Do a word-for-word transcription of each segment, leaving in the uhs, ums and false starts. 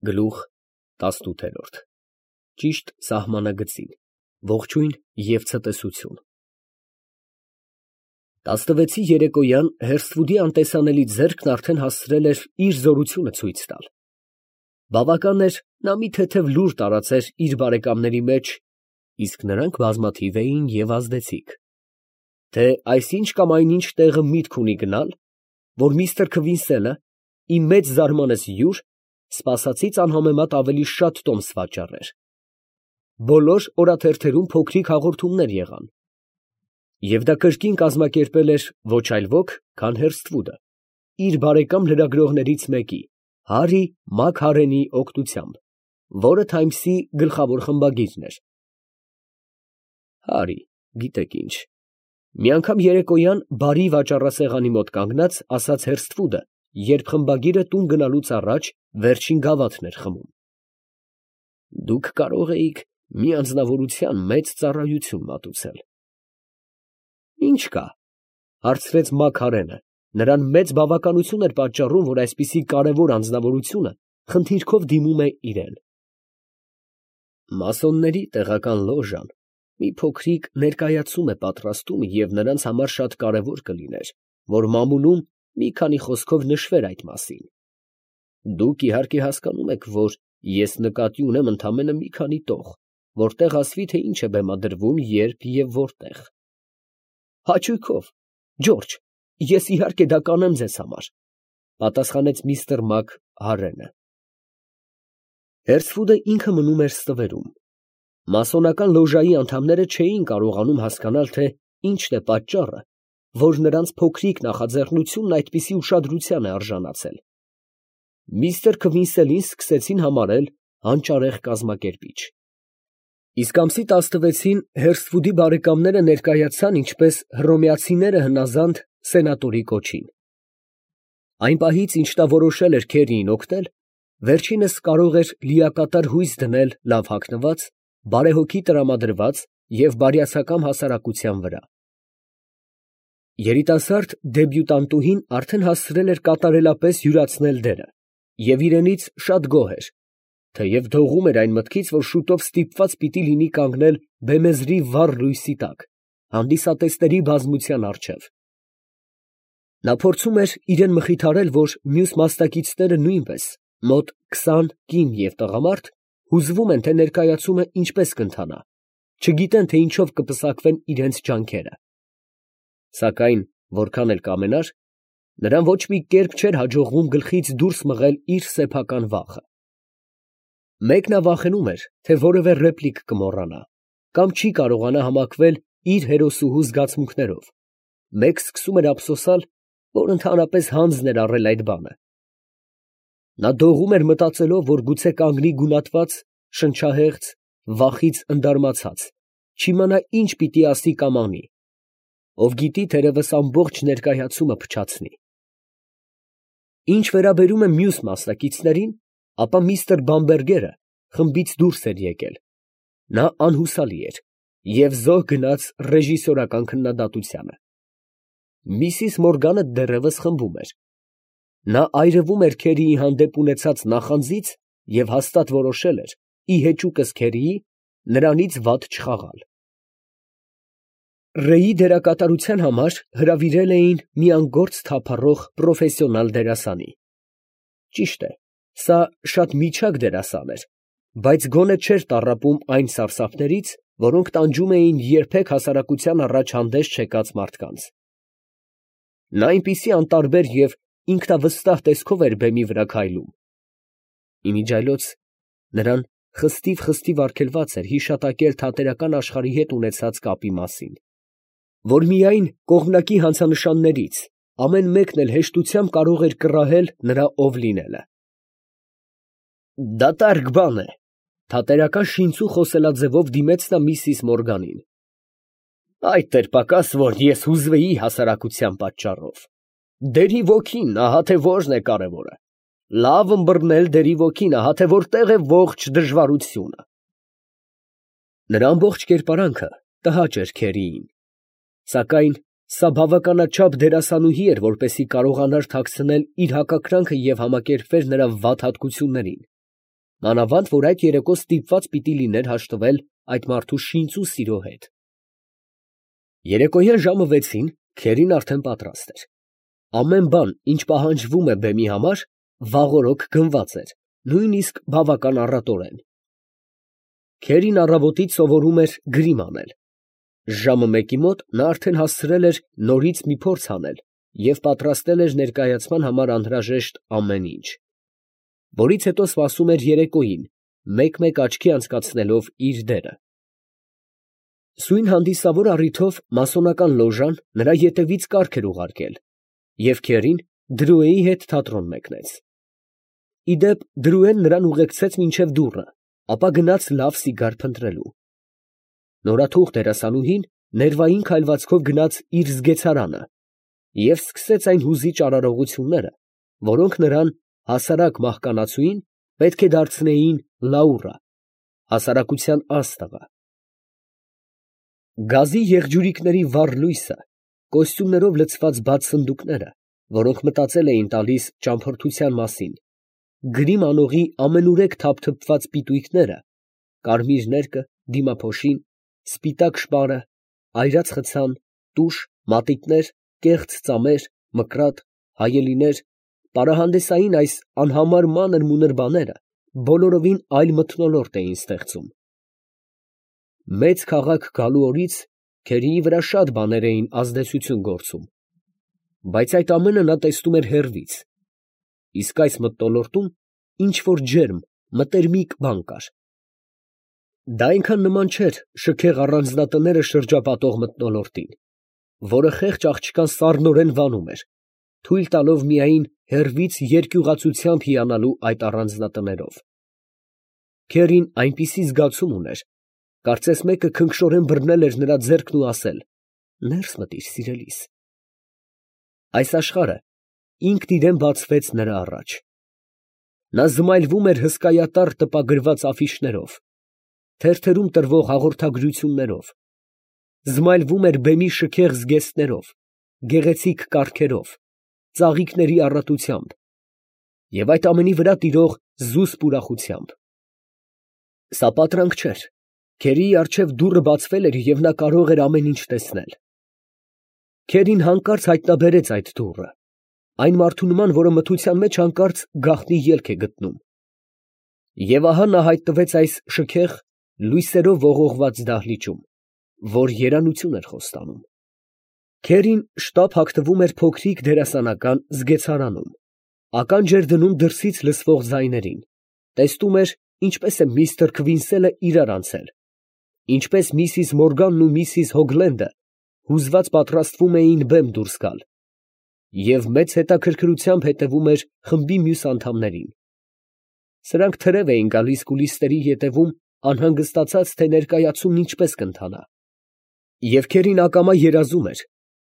Գլուխ տասնութ։ Ճիշտ սահմանագծին, ողջույն և ցտեսություն։ տասնվեցի երեկոյան Հերսթվուդի անտեսանելի ձեռքն արդեն հասցրել էր իր զորությունը ցույց տալ. բավական էր, նա մի թեթև լուր տարածեր իր բարեկամների մեջ, իսկ նրանք բազմաթիվ էին և ազդեցիկ, թե այսինչ կամ այնինչ տեղը միտք ունի գնալ, որ միստր Քվինսելը, ի մեծ զարմանս յուր, սպասածից անհամեմատ ավելի շատ տոմս վաճառեր։ Բոլոր օրաթերթերում փոքրիկ հաղորդումներ եղան, և դա կրկին կազմակերպել էր ոչ այլ ոք, քան Հերսթվուդը, իր բարեկամ լրագրողներից մեկի՝ Հարի Մաքհարենի օգնությամբ, որը «Թայմս»֊ի գլխավոր խմբագիրն էր։ Հարի, գիտեք ինչ, մի անգամ երեկոյան բարի վաճառասեղանի մոտ կանգնած, ասաց Հերսթվուդը, երբ խմբագիրը տուն գնալուց առաջ վերջին գավաթն էր խմում. «Դուք կարող էիք մի անձնավորության մեծ ծառայություն մատուցել»։ «Ի՞նչ կա», ֊ հարցրեց Մաքհարենը. նրան մեծ բավականություն էր պատճառում, որ այսպիսի կարևոր անձնավորությունը խնդիրքով դիմում է իրան։ «Մասոնների տեղական լոժան մի փոքրիկ ներկայացում է պատրաստում և նրանց համար շատ կարևոր կլիներ, որ մամուլում մի քանի խոսքով նշվեր այդ մասին։ Դուք իհարկե հասկանում եք, որ ես նկատի ունեմ ընդամենը մի քանի տող, որտեղ ասվի, թե ինչ է բեմադրվում, երբ և որտեղ»։ «Հաճույքով, Ջորջ, ես իհարկե դա կանեմ ձեզ համար», ֊ պատասխանեց միստր Մակհարենը։ Հերսթվուդը ինքը մնում էր ստվերում։ Մասոնական լոժայի անդամները չէին կարողանում հասկանալ, թե ինչն է պատճառը, որ նրանց փոքրիկ նախաձեռնությունն այդպիսի ուշադրության է արժանացել։ Միստր Քվինսելին սկսեցին համարել հանճարեղ կազմակերպիչ։ Իսկ ամսի տասնվեցին Հերսթվուդի բարեկամները ներկայացան ինչպես հռոմեացիները հնազանդ սենատորի կոչին։ Այն պահից, ինչ նա որոշել էր Քերիին օգնել, վերջինս կարող էր լիակատար հույս դնել լավ հագնված, բարեհոգի տրամադրված և բարյացակամ հասարակության վրա։ Երիտասարդ դեբյուտանտուհին արդեն հասցրել էր կատարելապես յուրացնել դերը և իրենից շատ գոհ էր, թեև դողում էր այն մտքից, որ շուտով ստիպված պիտի լինի կանգնել բեմեզրի վառ լույսի տակ, հանդիսատեսների բազմության առջև։ Նա փորձում էր իրան մխիթարել, որ մյուս մասնակիցները նույնպես, մոտ քսան կին և տղամարդ, հուզվում են, թե ներկայացումը ինչպես կընթանա, չգիտեն, թե ինչով կպսակվեն իրանց ջանքերը։ Սակայն որքան էլ կամենար, նրան ոչ մի կերպ չէր հաջողվում գլխից դուրս մղել իր սեփական վախը։ Մեկ նա վախենում էր, թե որևէ ռեպլիկ կմոռանա, կամ չի կարողանա համակվել իր հերոսուհու զգացմունքներով, մեկ սկսում էր ափսոսալ, որ ընդհանրապես հանձն էր առել այդ բանը։ Նա դողում էր մտածելով, որ գուցե կանգնի գունատված, շնչահեղձ, վախից ընդարմացած, չիմանա ինչ պիտի ասի կամ անի, ով գիտի, թերևս ամբողջ ներկայացումը փչացնի։ Ինչ վերաբերում է մյուս մասնակիցներին, ապա միստր Բամբերգերը խմբից դուրս էր եկել. նա անհուսալի էր և զոհ գնաց ռեժիսորական քննադատությանը։ Միսիս Մորգանը դեռևս խմբում էր. նա այրվում էր Քերիի հանդեպ ունեցած նախանձից և հաստատ որոշել էր, ի հեճուկս Քերիի, նրանից վատ չխաղալ։ Ռեյի դերակատարության համար հրավիրել էին մի անգործ թափառող պրոֆեսիոնալ դերասանի։ Ճիշտ է, սա շատ միջակ դերասան էր, բայց գոնե չէր տառապում այն սարսափներից, որոնք տանջում էին երբեք հասարակության առաջ հանդես չեկած մարդկանց։ Նա այնպիսի անտարբեր և ինքնավստահ տեսքով էր բեմի վրա քայլում։ Իմիջիայլոց նրան խստիվ֊խստիվ արգելված էր հիշատակել թատերական աշխարհի հետ ունեցած կապի մասին, որ միայն կողմնակի հանցանշաններից ամեն մեկն էլ հեշտությամբ կարող էր կռահել նրա ով լինելը։ «Դատարկ բան է», ֊ թատերական շինծու խոսելաձևով դիմեց նա միսիս Մորգանին։ «Այդ էր պակաս, որ ես հուզվեի հասարակության պատճառով։ Դերի ոգին, ահա թե որն է կարևորը։ Լավ ըմբռնել դերի ոգին, ահա թե որտեղ է ողջ դժվարությունը»։ Նրա ամբողջ կերպարանքը տհաճ էր Քերիին, սակայն սա բավականաչափ դերասանուհի էր, որպեսզի կարողանար թաքցնել իր հակակրանքը և համակերպվեր նրա վատ հատկություններին, մանավանդ որ այդ երեկո ստիպված պիտի լիներ հաշտվել այդ մարդու շինծու սիրո հետ։ Երեկոյան ժամը վեցին քերին արդեն պատրաստ էր։ Ամեն բան, ինչ պահանջվում է բեմի համար, վաղօրոք գնված էր, նույնիսկ բավական առատորեն։ Քերին առավոտից սովորում էր գրիմ անել։ Ժամը մեկի մոտ նա արդեն հասցրել էր նորից մի փորձ անել և պատրաստել էր ներկայացման համար անհրաժեշտ ամեն ինչ, որից հետո սպասում էր երեկոյին, մեկ֊մեկ աչքի անցկացնելով իր դերը։ Սույն հանդիսավոր առիթով մասոնական լոժան նրա ետևից կառք էր ուղարկել, և քերին Դրուեի հետ թատրոն մեկնեց։ Ի դեպ, Դրուեն նրան ուղեկցեց մինչև դուռը, ապա գնաց լավ սիգար փնտրելու։ Նորաթուխ դերասանուհին ներվային քայլվածքով գնաց իր զգեցարանը և սկսեց այն հուզիչ արարողությունները, որոնք նրան, հասարակ մահկանացուին, պետք է դարձնեին Լաուրա, հասարակության աստղը։ Գազի եղջյուրիկների վառ լույսը, կոստյումներով լցված բաց սնդուկները, որոնք մտածել էին տալիս ճամփորդության մասին, գրիմ անողի ամենուրեք թափթփված պիտույտները, կարմիր ներկը, դիմափոշին, սպիտակ շպարը, այրած խցան, տուշ, մատիտներ, կեղծ ծամեր, մկրատ, հայելիներ, պարահանդեսային այս անհամար մանր֊մունր բաները բոլորովին այլ մթնոլորտ էին ստեղծում։ Մեծ քաղաք գալու օրից քերիի վրա շատ բաներ էին ազդեցություն գործում, բայց այդ ամենը նա տեսնում էր հեռվից, իսկ այս մթնոլորտում ինչ֊որ ջերմ, մտերմիկ բան կար։ Դա այնքան նման չէր շքեղ առանձնատները շրջապատող մթնոլորտին, որը խեղճ աղջկան սառնորեն վանում էր, թույլ տալով միայն հեռվից երկյուղացությամբ հիանալու այդ առանձնատներով։ Քերին այնպիսի զգացում ուներ, կարծես մեկը քնքշորեն բռնել էր նրա ձեռքն ու ասել. «Ներս մտիր, սիրելիս»։ Այս աշխարհը ինքն իրան բացվեց նրա առաջ։ Նա զմայլվում էր հսկայատառ տպագրված աֆիշներով, թերթերում տրվող հաղորդագրություններով, զմայլվում էր բեմի շքեղ զգեստներով, գեղեցիկ կառքերով, ծաղիկների առատությամբ և այդ ամենի վրա տիրող զուսպ ուրախությամբ։ Սա պատրանք չէր, քերիի առջև դուռը բացվել էր և նա կարող էր ամեն ինչ տեսնել։ Քերին հանկարծ հայտնաբերեց այդ դուռը, այն մարդու նման, որը մթության մեջ հանկարծ գաղտնի ելք է գտնում։ Եվ ահա նա հայտնվեց այս շքեղ, լույսերով ողողված դահլիճում, որ երանություն էր խոստանում։ Քերին շտապ հագնվում էր փոքրիկ դերասանական զգեցարանում, ականջ էր դնում դրսից լսվող ձայներին, տեսնում էր, ինչպես է միստր Քվինսելը իրար անցել, ինչպես միսիս Մորգանն ու միսիս Հոգլենդը հուզված պատրաստվում էին բեմ դուրս գալ, և մեծ հետաքրքրությամբ հետևում էր խմբի մյուս անդամներին։ Սրանք թրև էին գալիս կուլիսների ետևում, անհանգստացած, թե ներկայացումն ինչպես կընթանա։ Եվ քերին ակամա երազում էր,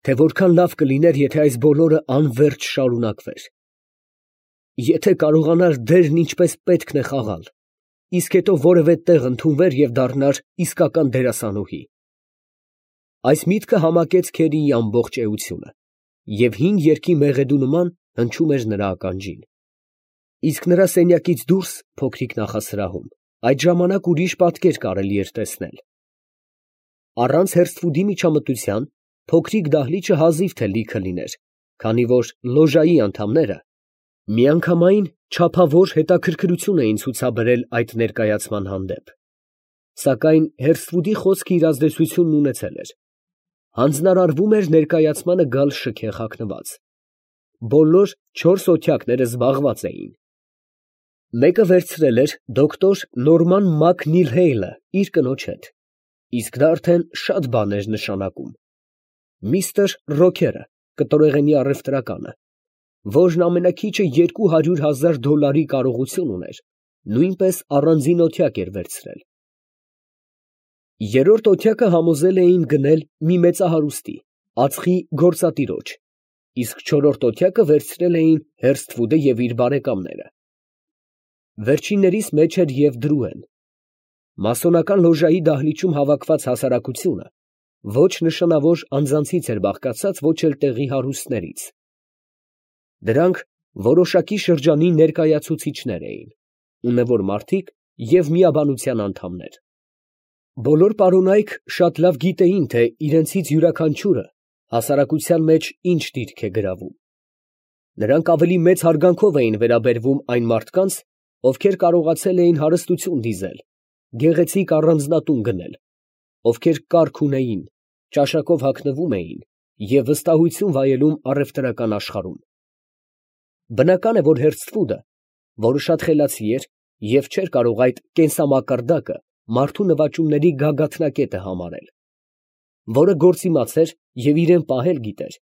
թե որքան լավ կլիներ, եթե այս բոլորը անվերջ շարունակվեր։ Եթե կարողանար դերն ինչպես պետքն է խաղալ, իսկ հետո որևէ տեղ ընդունվեր և դառնար իսկական դերասանուհի։ Այս միտքը համակեց քերիի ամբողջ էությունը և հին երգի մեղեդու նման հնչում էր նրա ականջին։ Իսկ նրա սենյակից դուրս, փոքրիկ նախասրահում, այդ ժամանակ ուրիշ պատկեր կարելի էր տեսնել։ Առանց հերսթվուդի միջամտության փոքրիկ դահլիճը հազիվ թե լիքը լիներ, քանի որ լոժայի անդամները միանգամայն չափավոր հետաքրքրություն էին ցուցաբերել այդ ներկայացման հանդեպ։ Սակայն հերսթվուդի խոսքը իր ազդեցությունն ունեցել էր։ Հանձնարարվում էր ներկայացմանը գալ շքեղ հագնված։ Բոլոր չորս օթյակները զբաղված էին։ Մեկը վերցրել էր դոկտոր Նորման Մակնիլհեյլը իր կնոջ հետ, իսկ դա արդեն շատ բան էր նշանակում։ Միստր Ռոքերը, կտորեղենի առևտրականը, որն ամենաքիչը երկու հարյուր հազար դոլարի կարողություն ուներ, նույնպես առանձին օթյակ էր վերցրել։ Երրորդ օթյակը համոզել էին գնել մի մեծահարուստի, ածխի գործատիրոջ, իսկ չորրորդ օթյակը վերցրել էին Հերսթվուդը և իր բարեկամները։ Վերջիններիս մեջ էր և Դրուեն։ Մասոնական լոժայի դահլիճում հավաքված հասարակությունը ոչ նշանավոր անձանցից էր բաղկացած, ոչ էլ տեղի հարուստներից։ Դրանք որոշակի շրջանի ներկայացուցիչներ էին, ունևոր մարդիկ և միաբանության անդամներ։ Բոլոր պարոնայք շատ լավ գիտեին, թե իրենցից յուրաքանչյուրը հասարակության մեջ ինչ դիրք է գրավում։ Նրանք ավելի մեծ հարգանքով էին վերաբերվում այն մարդկանց, ովքեր կարողացել էին հարստություն դիզել, գեղեցիկ առանձնատուն գնել, ովքեր կարգ ունեին, ճաշակով հագնվում էին և վստահություն վայելում առևտրական աշխարհում։ Բնական է, որ Հերսթվուդը, որը շատ խելացի էր և չէր կարող այդ կենսամակարդակը մարդու նվաճումների գագաթնակետը համարել, որը գործիմաց էր և իրան պահել գիտեր,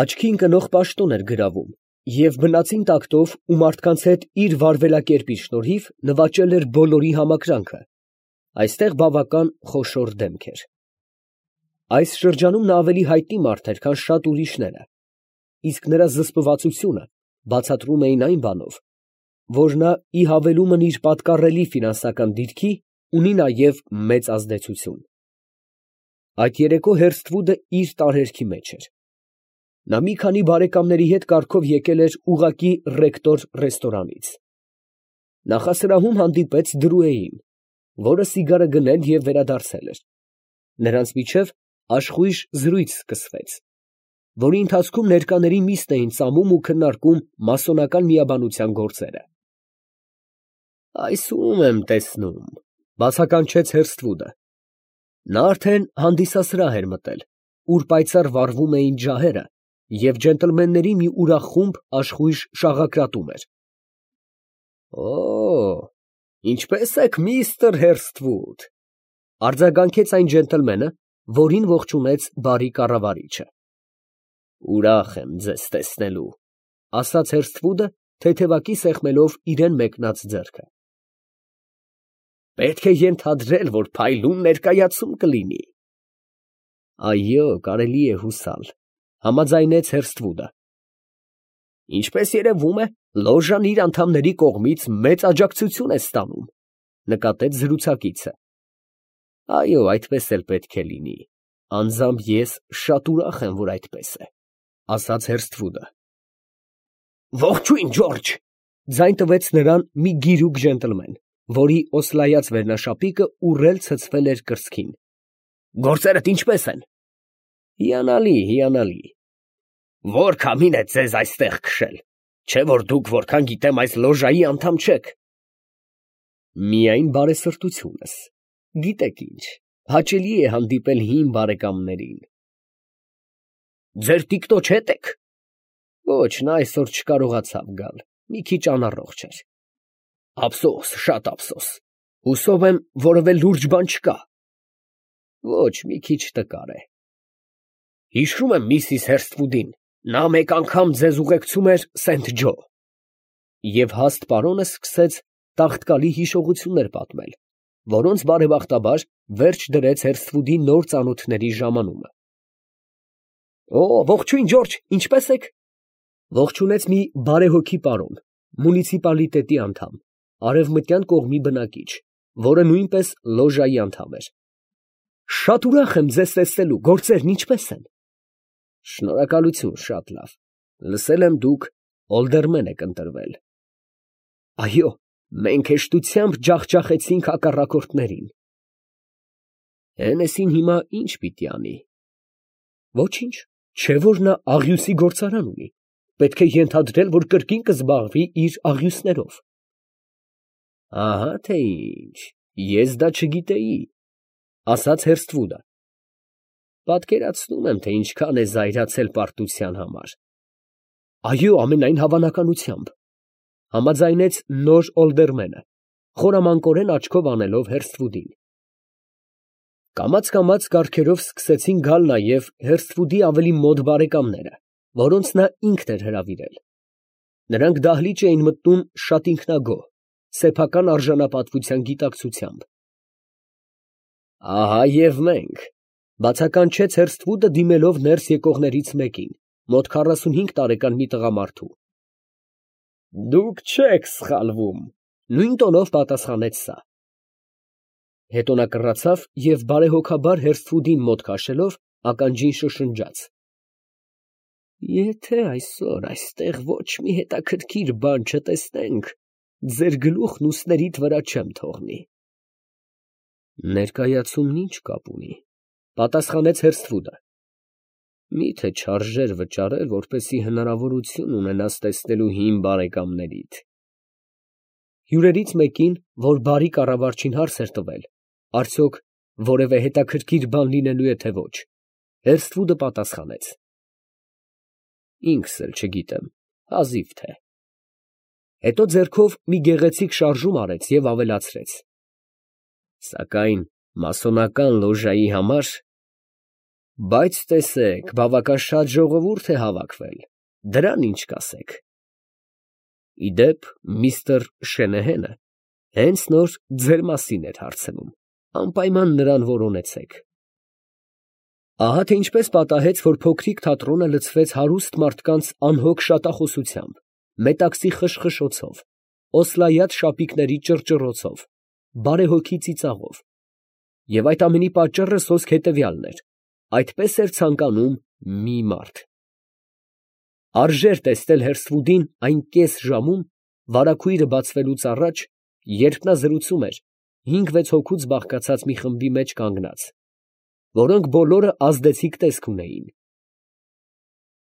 աչքի ընկնող պաշտոն էր գրավում և բնածին տակտով ու մարդկանց հետ իր վարվելակերպի շնորհիվ նվաճել էր բոլորի համակրանքը, այստեղ բավական խոշոր դեմք էր։ Այս շրջանում նա ավելի հայտնի մարդ էր, քան շատ ուրիշները, իսկ նրա զսպվածությունը բացատրում էին այն բանով, որ նա ի հավելումն իր պատկառելի ֆինանսական դիրքի, ունի նաև մեծ ազդեցություն։ Այդ երեկո Հերսթվուդը իր տարերքի մեջ էր։ Նա մի քանի բարեկամների հետ կարգով եկել էր ուղղակի ռեկտոր ռեստորանից։ Նախասրահում հանդիպեց Դրուեին, որը սիգարը գնել և վերադարձել էր։ Նրանց միջև աշխույժ զրույց սկսվեց, որի ընթացքում ներկաների միստ էին ծամում ու քննարկում մասոնական միաբանության գործերը։ «Այս ո՞ւմ եմ տեսնում», ֊ բացականչեց Հերսթվուդը։ Նա արդեն հանդիսասրահ էր մտել, ուր պայծառ վառվում էին ջահերը, և ջենտլմենների մի ուրախ խումբ աշխույժ շաղակրատում էր։ «Օ՜, ինչպե՞ս եք, միստր Հերսթվուդ, ֊ արձագանքեց այն ջենտլմենը, որին ողջունեց բարի կառավարիչը։ ֊ Ուրախ եմ ձեզ տեսնելու, ֊ ասաց Հերսթվուդը, թեթևակի սեղմելով իրան մեկնած ձեռքը։ ֊ Պետք է ենթադրել, որ փայլուն ներկայացում կլինի։ ֊ Այո, կարելի է հուսալ, ֊ համաձայնեց Հերսթվուդը։ ֊ Ինչպես երևում է, լոժան իր անդամների կողմից մեծ աջակցություն է ստանում, ֊ նկատեց զրուցակիցը։ ֊ Այո, այդպես էլ պետք է լինի, անձամբ ես շատ ուրախ եմ, որ այդպես է, ֊ ասաց Հերսթվուդը։ ֊ Ողջույն, Ջորջ, ֊ ձայն տվեց նրան մի գիրուկ ջենտլմեն, որի օսլայած վերնաշապիկը ուռել ցցվել էր կրծքին։ ֊ Գործերդ ինչպե՞ս են։ ֊ Հիանալի, հիանալի։ ֊ Ո՞ր քամին է ձեզ այստեղ քշել, չէ՞ որ դուք, որքան գիտեմ, այս լոժայի անդամ չեք։ ֊ Միայն բարեսրտությունս, գիտեք ինչ, հաճելի է հանդիպել հին բարեկամներին։ ֊ Ձեր տիկնոջ հետ ե՞ք։ ֊ Ոչ, նա այսօր չկարողացավ գալ, մի քիչ անառողջ էր։ ֊ Ափսոս, շատ ափսոս, հուսով եմ, որևէ լուրջ բան չկա։ ֊ Ոչ, մի քիչ տկար է։ ֊ Հիշում եմ միսիս Հերսթվուդին, նա մեկ անգամ ձեզ ուղեկցում էր Սենթ Ջո… Եվ հաստ պարոնը սկսեց տաղտկալի հիշողություններ պատմել, որոնց բարեբախտաբար վերջ դրեց Հերսթվուդի նոր ծանոթների ժամանումը։ ֊ Օ, ողջույն, Ջորջ, ինչպե՞ս եք, ֊ ողջունեց մի բարեհոգի պարոն, մունիցիպալիտետի անդամ, արևմտյան կողմի բնակիչ, որը նույնպես լոժայի անդամ էր։ ֊ Շատ ուրախ եմ ձեզ տեսնելու, գործերն ինչպե՞ս են։ ֊ Շնորհակալություն, շատ լավ, լսել եմ, դուք օլդերմեն եք ընտրվել։ ֊ Այո, մենք հեշտությամբ ջախջախեցինք հակառակորդներին։ ֊ Հենեսին հիմա ի՞նչ պիտի անի։ ֊ Ոչինչ, չէ՞ որ նա աղյուսի գործարան ունի, պետք է ենթադրել, որ կրկին կզբաղվի իր աղյուսներով։ ֊ Ահա թե ինչ, ես դա չգիտեի, ֊ ասաց Հերսթվուդը։ ֊ Պատկերացնում եմ, թե ինչքան է զայրացել պարտության համար։ ֊ Այո, ամենայն հավանականությամբ, ֊ համաձայնեց նոր օլդերմենը, խորամանկորեն աչքով անելով Հերսթվուդին։ Կամաց֊կամաց կառքերով սկսեցին գալ նաև Հերսթվուդի ավելի մոտ բարեկամները, որոնց նա ինքն էր հրավիրել։ Նրանք դահլիճ էին մտնում շատ ինքնագոհ, սեփական արժանապատվության գիտակցությամբ։ ֊ Ահա և մենք, ֊ բացականչեց Հերսթվուդը, դիմելով ներս եկողներից մեկին, մոտ քառասունհինգ տարեկան մի տղամարդու։ ֊ Դուք չեք սխալվում, ֊ նույն տոնով պատասխանեց սա։ Հետո նա կռացավ և բարեհոգաբար Հերսթվուդին մոտ քաշելով, ականջին շշնջաց. ֊ Եթե այսօր այստեղ ոչ մի հետաքրքիր բան չտեսնենք, ձեր գլուխն ուսներիդ վրա չեմ թողնի։ Ներկայացումն ինչ կապ ունի, պատասխանեց Հերսթվուդը։ Միթե չարժեր վճարել, որպեսզի հնարավորություն ունենաս տեսնելու հին բարեկամներիդ։ Հյուրերից մեկին, որ բարի կառավարչին հարց էր տվել, արդյոք որևէ հետաքրքիր բան լինելու է թե ոչ, Հերսթվուդը պատասխանեց. Ինքս էլ չգիտեմ, հազիվ թե։ Հետո ձեռքով մի գեղեցիկ շարժում արեց և ավելացրեց. Սակայն մասոնական լոժայի համար… Բայց տեսեք, բավական շատ ժողովուրդ է հավաքվել, դրան ինչ կասեք։ Ի դեպ, միստր Շենեհենը հենց նոր ձեր մասին էր հարցնում, անպայման նրան որոնեցեք։ Ահա թե ինչպես պատահեց, որ փոքրիկ թատրոնը լցվեց հարուստ մարդկանց անհոգ շատախոսությամբ, մետաքսի խշխշոցով, օսլայած շապիկների ճռճռոցով, բարեհոգի ծիծաղով, և այդ ամենի պատճառը սոսկ հետևյալն էր. այդպես էր ցանկանում մի մարդ։ Արժեր տեսնել Հերսթվուդին այն կես ժամում, վարագույրը բացվելուց առաջ, երբ նա զրուցում էր հինգ֊վեց հոգուց բաղկացած մի խմբի մեջ կանգնած, որոնք բոլորը ազդեցիկ տեսք ունեին։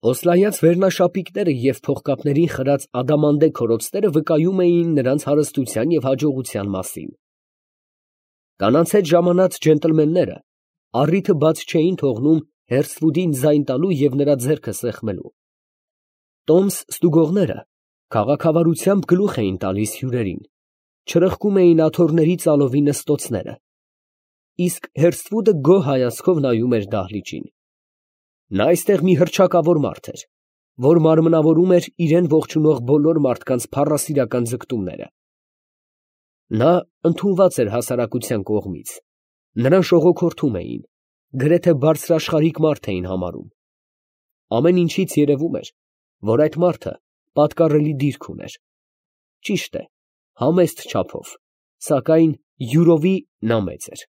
Օսլայած վերնաշապիկները և փողկապներին խրած ադամանդե քորոցները վկայում էին նրանց հարստության և հաջողության մասին։ Կանանց հետ ժամանած ջենտլմենները առիթը բաց չէին թողնում Հերսթվուդին ձայն տալու և նրա ձեռքը սեղմելու։ Տոմս ստուգողները քաղաքավարությամբ գլուխ էին տալիս հյուրերին, չրպկում էին աթոռների ծալովի նստոցները, իսկ Հերսթվուդը գոհ հայացքով նայում էր դահլիճին։ Նա այստեղ մի հռչակավոր մարդ էր, որ մարմնավորում էր իրան ողջունող բոլոր մարդկանց փառասիրական ձգտումները։ Նա ընդունված էր հասարակության կողմից, նրան շողոքորթում էին, գրեթե բարձրաշխարհիկ մարդ էին համարում։ Ամեն ինչից երևում էր, որ այդ մարդը պատկառելի դիրք ուներ։ Ճիշտ է, համեստ չափով, սակայն յուրովի նա մեծ էր։